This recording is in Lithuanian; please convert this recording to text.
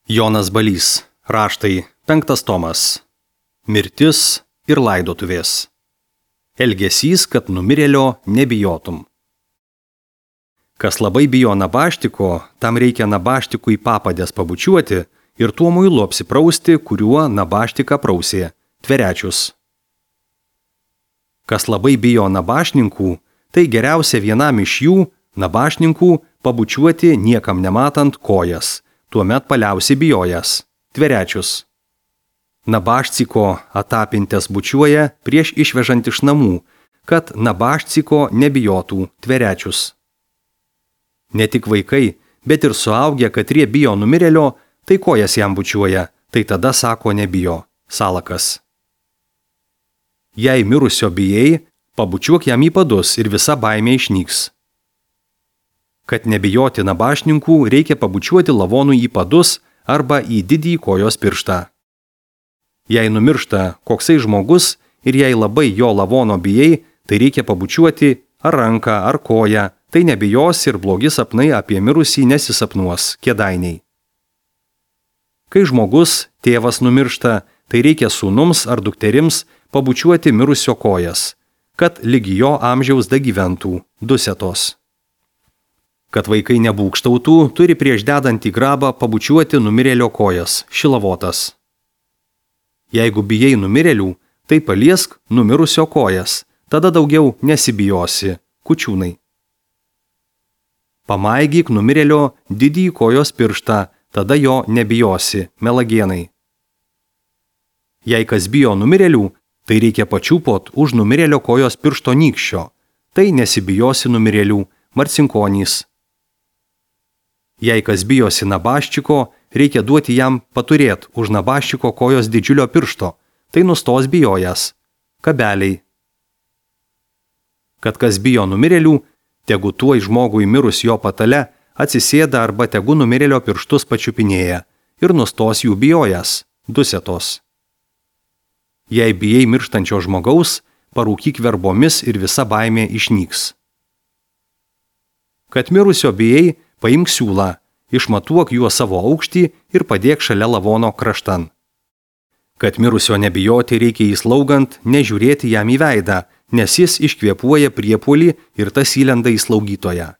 Jonas Balys, raštai, 5 tomas. Mirtis ir laidotuvės. Elgesys, kad numirėlio nebijotum. Kas labai bijo nabaštiko, tam reikia nabaštikui papadės pabučiuoti ir tuo muilu apsiprausti, kuriuo nabaštiką prausė, tverečius. Kas labai bijo nabašninkų, tai geriausia vienam iš jų, nabašninkų, pabučiuoti niekam nematant kojas, tuomet paliausi bijojas, tverečius. Nabašciko atapintės bučiuoja prieš išvežant iš namų, kad nabašciko nebijotų, tverečius. Ne tik vaikai, bet ir suaugę, katrie bijo numirėlio, tai kojas jam bučiuoja, tai tada sako nebijo, salakas. Jei mirusio bijai, pabučiuok jam į padus ir visa baimė išnyks. Kad nebijoti nabašninkų, reikia pabučiuoti lavonui į padus arba į didįjį kojos pirštą. Jei numiršta koksai žmogus ir jei labai jo lavono bijai, tai reikia pabučiuoti ar ranką, ar koją, tai nebijos ir blogi sapnai apie mirusį nesisapnuos, kėdainiai. Kai žmogus, tėvas numiršta, tai reikia sūnums ar dukterims pabučiuoti mirusio kojas, kad lygi jo amžiaus dagyventų, dusetos. Kad vaikai nebūkštautų, turi prieš dedant į grabą pabučiuoti numirėlio kojas, šilavotas. Jeigu bijai numirėlių, tai paliesk numirusio kojas, tada daugiau nesibijosi, kučiūnai. Pamaigyk numirėlio didįjį kojos pirštą, tada jo nebijosi, melagienai. Jei kas bijo numirėlių, tai reikia pačiupot už numirėlio kojos piršto nykščio, tai nesibijosi numirėlių, marcinkonys. Jei kas bijosi nabaščiko, reikia duoti jam paturėt už nabaščiko kojos didžiulio piršto, tai nustos bijojas, kabeliai. Kad kas bijo numirėlių, tegu tuoj žmogui mirus jo patale atsisėda arba tegu numirėlio pirštus pačiupinėja ir nustos jų bijojas, dusetos. Jei bijai mirštančio žmogaus, parūkyk verbomis ir visa baimė išnyks. Kad mirusio bijai, paimk siūlą, išmatuok juo savo aukštį ir padėk šalia lavono kraštan. Kad mirusio nebijoti, reikia jį slaugant, nežiūrėti jam į veidą, nes jis iškvėpuoja priepuolį ir tas įlenda į slaugytoją.